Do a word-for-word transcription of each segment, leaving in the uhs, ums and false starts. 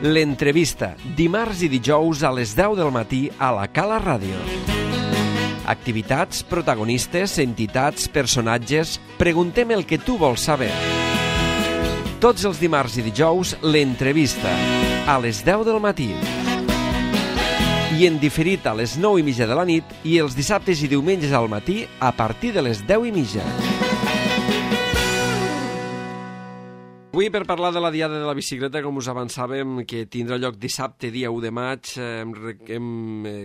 L'entrevista, dimarts i dijous a les deu del matí a la Cala Ràdio. Activitats, protagonistes, entitats, personatges... Preguntem el que tu vols saber. Tots els dimarts i dijous, l'entrevista, a les deu del matí. I en diferit a les nou i mitja de la nit i els dissabtes i diumenges al matí a partir de les deu i mitja. Avui, per parlar de la Diada de la Bicicleta, com us avançàvem, que tindrà lloc dissabte, dia u de maig, hem, hem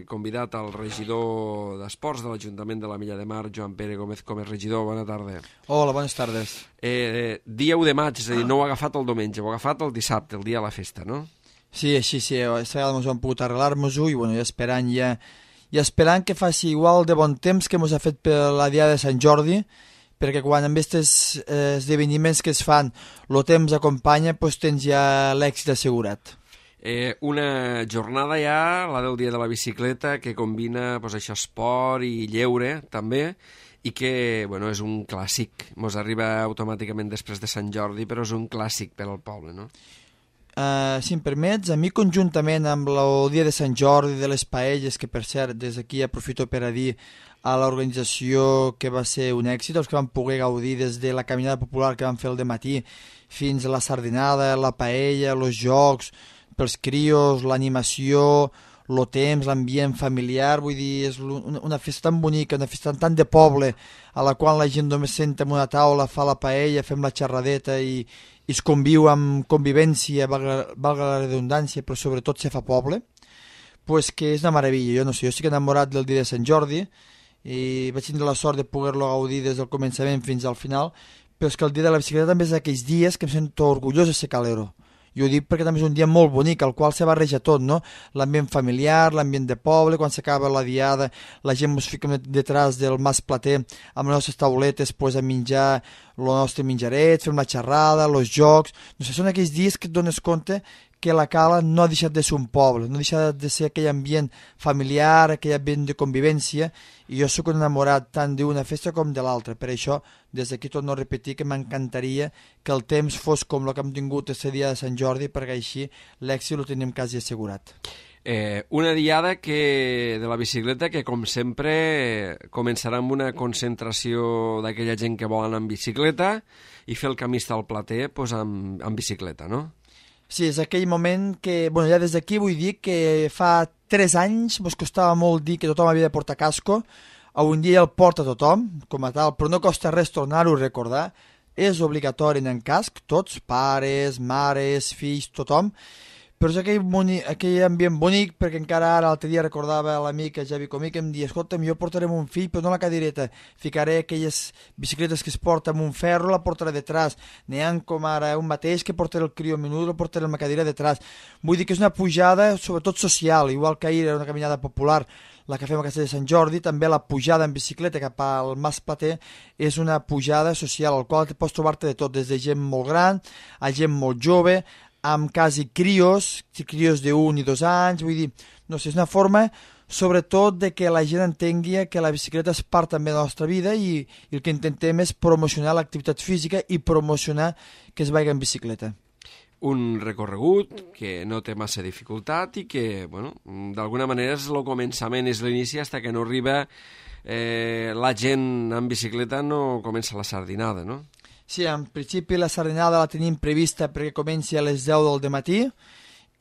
convidat al regidor d'Esports de l'Ajuntament de la Milla de Mar, Joan Pere Gómez, com és regidor. Bona tarda. Hola, bones tardes. Eh, dia u de maig, és a dir, no ho ha agafat el diumenge, ho ha agafat el dissabte, el dia de la festa, no? Sí, així, sí. Aquesta vegada ens hem pogut arreglar-nos-ho i, bueno, ja esperant, ja, ja esperant que faci igual de bon temps que ens ha fet per la Diada de Sant Jordi, perquè quan amb aquests eh, esdeveniments que es fan el temps acompanya, doncs tens ja l'èxit assegurat. Eh, una jornada ja, la del dia de la bicicleta, que combina doncs, això, esport i lleure també, i que bueno, és un clàssic. Ens arriba automàticament després de Sant Jordi, però és un clàssic per al poble, no? Uh, si em permets, a mi conjuntament amb el dia de Sant Jordi de les paelles, que per cert des d'aquí aprofito per a dir a l'organització que va ser un èxit, els que van poder gaudir des de la caminada popular que van fer el dematí fins a la sardinada, la paella, els jocs pels crios, l'animació, el temps, l'ambient familiar, vull dir, és una, una festa tan bonica, una festa tan de poble, a la qual la gent només senta en una taula, fa la paella, fem la xerradeta i, i es conviu amb convivència, valga, valga la redundància, però sobretot se fa poble, pues que és una meravella. Jo no sé, jo estic enamorat del dia de Sant Jordi i vaig tindre la sort de poder-lo gaudir des del començament fins al final, però és que el dia de la bicicleta també és d'aquells dies que em sento orgullós de ser calero. Jo ho dic perquè també és un dia molt bonic, al qual se barreja tot, no? L'ambient familiar, l'ambient de poble, quan s'acaba la diada, la gent ens fica detrás del mas plater amb les nostres tauletes pues, a menjar el nostre menjaret, fem la xerrada, els jocs... No sé, són aquells dies que et dones compte que la Cala no ha deixat de ser un poble, no ha deixat de ser aquell ambient familiar, aquell ambient de convivència, i jo sóc un enamorat tant d'una festa com de l'altra. Per això, des d'aquí torno a repetir que m'encantaria que el temps fos com el que hem tingut aquest dia de Sant Jordi, perquè així l'èxit ho tenim quasi assegurat. Eh, una diada que, de la bicicleta que, com sempre, començarà amb una concentració d'aquella gent que vol anar en bicicleta i fer el camí al plater pues, amb, amb bicicleta, no? Sí, és aquell moment que, bueno, ja des d'aquí vull dir que fa tres anys ens costava molt dir que tothom havia de portar casco, avui en dia el porta tothom, com a tal, però no costa res tornar-ho a recordar, és obligatori anar en casc, tots, pares, mares, fills, tothom, però és aquell, boni, aquell ambient bonic, perquè encara ara l'altre dia recordava l'amic Javi Comí que em dia, escolta'm, jo portaré un fill, però no la cadireta, ficaré aquelles bicicletes que es porta amb un ferro, la portaré detrás, n'hi ha com ara un mateix que portaré el crió menut, la portaré amb la cadira detrás. Vull dir que és una pujada, sobretot social, igual que ahir era una caminada popular, la que fem a Castell de Sant Jordi, també la pujada en bicicleta cap al Mas Plater és una pujada social, al qual pots trobar-te de tot, des de gent molt gran a gent molt jove, amb quasi crios, crios d'un i dos anys, vull dir, no sé, és una forma sobretot de que la gent entengui que la bicicleta és part també de la nostra vida i, i el que intentem és promocionar l'activitat física i promocionar que es vagi en bicicleta. Un recorregut que no té massa dificultat i que, bueno, d'alguna manera és el començament, és l'inici, fins que no arriba eh, la gent en bicicleta, no comença la sardinada, no? Sí, en principi la sardinada la tenim prevista perquè comenci a les deu del matí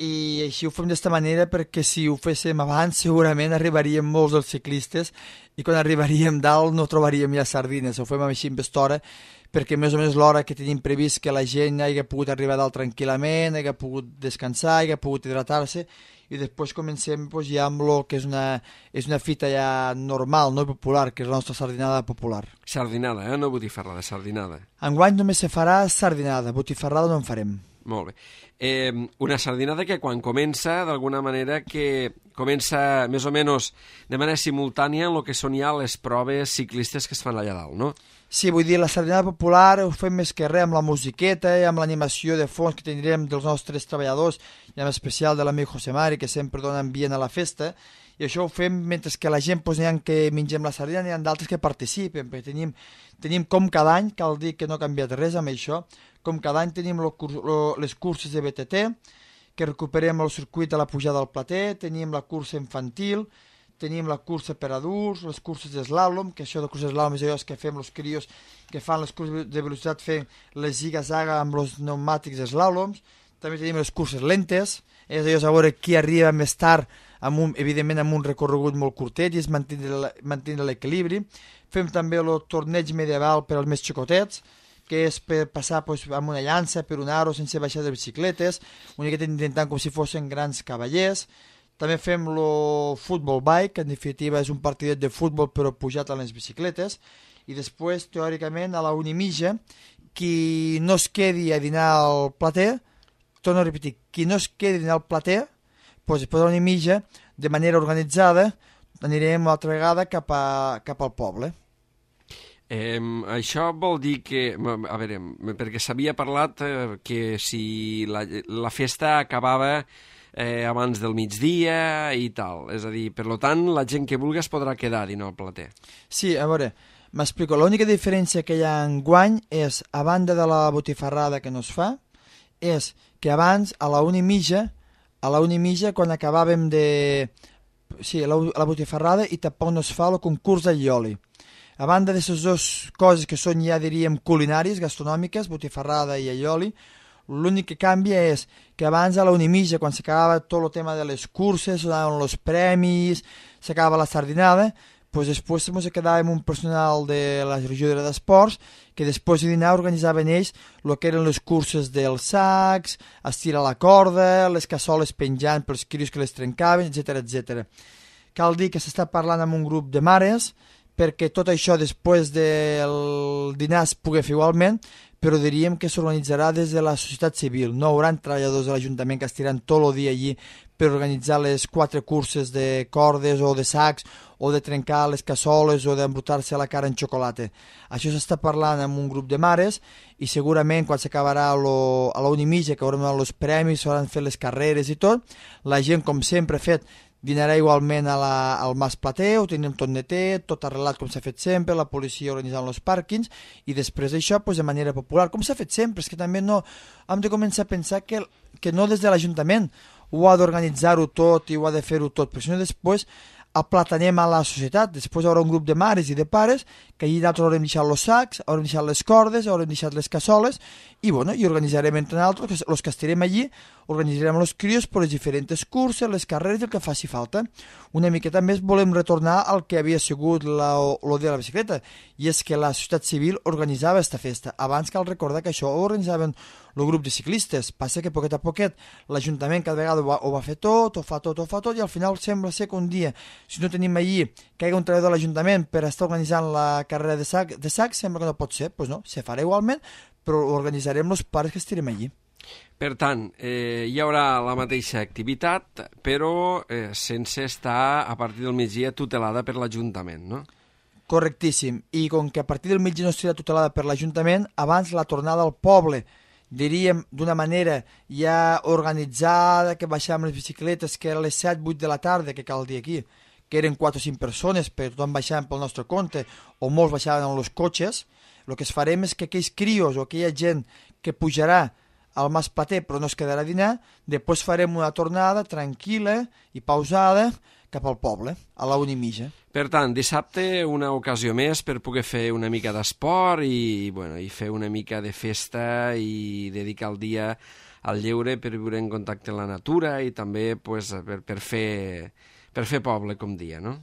i així ho fem d'esta manera perquè si ho féssim abans segurament arribaríem molts dels ciclistes i quan arribaríem dalt no trobaríem ja sardines, ho fem així en estora perquè més o menys l'hora que tenim previst que la gent hagi pogut arribar dalt tranquil·lament, hagi pogut descansar, hagi pogut hidratar-se i després comencem pues, ja amb el que és una, és una fita ja normal, no popular, que és la nostra sardinada popular. Sardinada, eh? No botifarrada, sardinada. Enguany només se farà sardinada, botifarrada no en farem. Molt bé. Eh, una sardinada que quan comença, d'alguna manera, que comença més o menys de manera simultània en el que són ja les proves ciclistes que es fan allà dalt, no? Sí, vull dir, la sardinada popular ho fem més que res amb la musiqueta i amb l'animació de fons que tindrem dels nostres treballadors i en especial de l'amic José Mari, que sempre dona ambient a la festa, i això ho fem mentre que la gent pues, n'hi ha que mengem la sardina, n'hi ha d'altres que participen, perquè tenim, tenim com cada any, cal dir que no ha canviat res amb això, com cada any tenim lo, lo, les curses de B T T, que recuperem el circuit de la pujada al plater, tenim la cursa infantil, tenim la cursa per adults, les curses d'eslàlom, que això de curses d'eslàlom és allò que fem els crios que fan les curses de velocitat fent les ziga-zaga amb els pneumàtics d'eslàloms. També tenim les curses lentes, és allò a veure qui arriba més tard, amb un, evidentment amb un recorregut molt curtet i és mantenir l'equilibri. Fem també el torneig medieval per als més xicotets, que és per passar pues, amb una llança, per un aro, sense baixar de bicicletes, una miqueta intentant com si fossin grans cavallers. També fem el futbol bike, que en definitiva és un partidet de futbol però pujat a les bicicletes. I després, teòricament, a la una i mitja, qui no es quedi a dinar al plater, torno a repetir, qui no es quedi a dinar al plater, doncs després a la una i mitja, de manera organitzada, anirem una altra vegada cap, a, cap al poble. Eh, això vol dir que, a veure, perquè s'havia parlat eh, que si la, la festa acabava eh, abans del migdia i tal, és a dir, per tant, la gent que vulgui es podrà quedar a dinar al plater. Sí, a veure, m'explico, l'única diferència que hi ha en guany és, a banda de la botifarrada que no es fa, és que abans, a la una i mitja, a la una i mitja, quan acabàvem de... Sí, la, la botifarrada i tampoc no es fa el concurs de llioli. A banda d'aquestes dues coses que són ja, diríem, culinàries, gastronòmiques, botifarrada i allioli, l'únic que canvia és que abans a la una i mitja, quan s'acabava tot el tema de les curses, donaven els premis, s'acabava la sardinada, doncs després ens quedàvem un personal de la regidora d'esports que després de dinar organitzaven ells el que eren les curses dels sacs, estirar la corda, les cassoles penjant pels crios que les trencaven, etcètera, etcètera. Cal dir que s'està parlant amb un grup de mares perquè tot això després del dinar es pugui fer igualment, però diríem que s'organitzarà des de la societat civil. No hi haurà treballadors de l'Ajuntament que estiran tot el dia allí per organitzar les quatre curses de cordes o de sacs o de trencar les cassoles o d'embrutar-se la cara en xocolata. Això s'està parlant amb un grup de mares i segurament quan s'acabarà a la una i mitja, que haurem donat els premis, s'hauran fet les carreres i tot, la gent, com sempre ha fet, dinarà igualment a la, al Mas Plater, ho tenim tot netet, tot arreglat com s'ha fet sempre, la policia organitzant els pàrquings i després d'això pues, de manera popular, com s'ha fet sempre. És que també no hem de començar a pensar que, que no des de l'Ajuntament ho ha d'organitzar-ho tot i ho ha de fer-ho tot, però sinó després aplatanem a la societat. Després hi haurà un grup de mares i de pares que allà nosaltres haurem deixat els sacs, haurem deixat les cordes, haurem deixat les cassoles i, bueno, i organitzarem entre nosaltres, els que estarem allí, organitzarem els crios per les diferents curses, les carreres i el que faci falta. Una miqueta més volem retornar al que havia sigut la, lo de la bicicleta, i és que la societat civil organitzava aquesta festa. Abans cal recordar que això ho organitzaven el grup de ciclistes. Passa que poquet a poquet l'Ajuntament cada vegada ho va, ho va fer tot, ho fa tot, ho fa tot, i al final sembla ser que un dia, si no tenim allí que hi hagi un treballador de l'Ajuntament per estar organitzant la carrera de sac, de sac sembla que no pot ser. Doncs pues no, se farà igualment, però organitzarem els pares que estarem allí. Per tant, eh, hi haurà la mateixa activitat, però eh, sense estar a partir del migdia tutelada per l'Ajuntament, no? Correctíssim. I com que a partir del migdia no estarà tutelada per l'Ajuntament, abans la tornada al poble, diríem d'una manera ja organitzada, que baixàvem les bicicletes, que era a les set vuit de la tarda, que cal dir aquí, que eren quatre o cinc persones, però tothom baixaven pel nostre compte, o molts baixaven amb els cotxes. El que es farem és que aquells crios o aquella gent que pujarà al Mas Plater però no es quedarà a dinar, després farem una tornada tranquil·la i pausada cap al poble, a la una i mitja. Per tant, dissabte una ocasió més per poder fer una mica d'esport i, bueno, i fer una mica de festa i dedicar el dia al lleure per viure en contacte amb la natura i també pues, per, per, fer, per fer poble, com dia, no?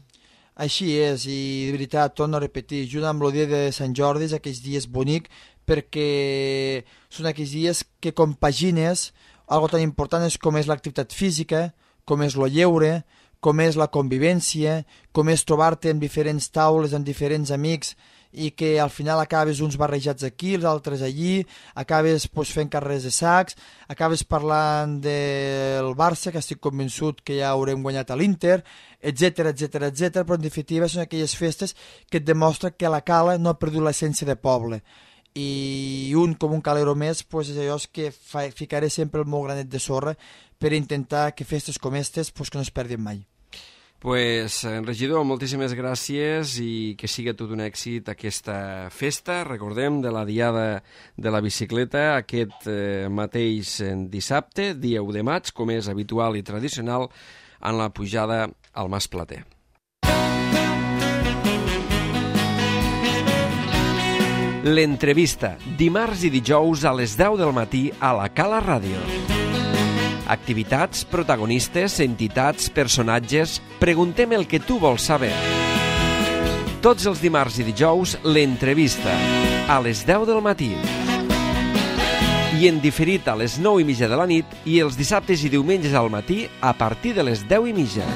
Així és, i de veritat, torno a repetir, junt amb el dia de Sant Jordi és aquells dies bonics perquè són aquells dies que compagines algo tan important és com és l'activitat física, com és el lleure, com és la convivència, com és trobar-te en diferents taules, amb diferents amics, i que al final acabes uns barrejats aquí, els altres allí, acabes pues, fent carreres de sacs, acabes parlant del Barça, que estic convençut que ja haurem guanyat a l'Inter, etcètera, etcètera, etcètera, però en definitiva són aquelles festes que et demostra que la cala no ha perdut l'essència de poble. I un com un calero més pues, és allò que fa, ficaré sempre el meu granet de sorra per intentar que festes com aquestes pues, que no es perdin mai. Pues, regidor, moltíssimes gràcies i que siga tot un èxit aquesta festa, recordem, de la Diada de la Bicicleta, aquest eh, mateix dissabte, dia u de maig, com és habitual i tradicional, en la pujada al Mas Plater. L'entrevista, dimarts i dijous a les deu del matí a la Cala Ràdio. Activitats, protagonistes, entitats, personatges... Preguntem el que tu vols saber. Tots els dimarts i dijous, l'entrevista, a les deu del matí. I en diferit a les nou i mitja de la nit i els dissabtes i diumenges al matí a partir de les deu i mitja.